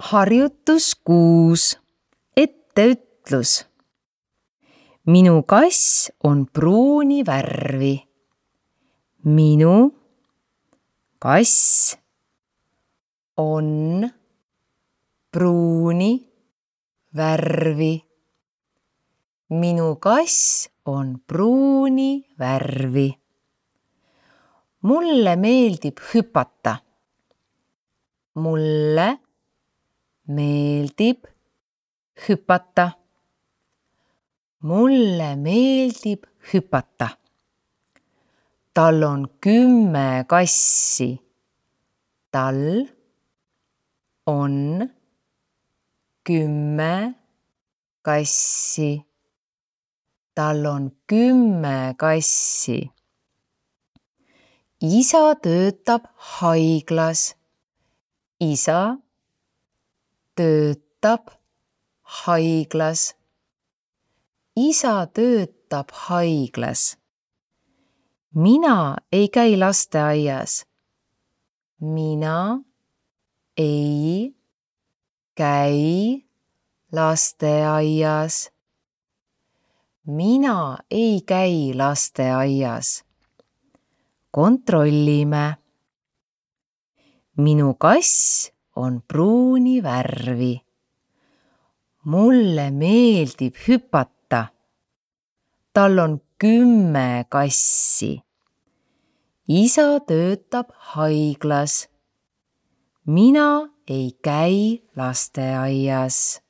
Harjutus 6. Etteütlus. Minu kass on pruuni värvi. Minu kass on pruuni värvi. Minu kass on pruuni värvi. Mulle meeldib hüpata. Mulle meeldib hüpata. Mulle meeldib hüpata. Tal on 10 kassi. Tal on 10 kassi. Tal on 10 kassi. Isa töötab haiglas. Isa töötab haiglas. Isa töötab haiglas. Mina ei käi lasteaias. Mina ei käi lasteaias. Mina ei käi lasteaias. Kontrollime. Minu kass on pruuni värvi. Mulle meeldib hüpata. Tal on 10 kassi. Isa töötab haiglas. Mina ei käi lasteaias.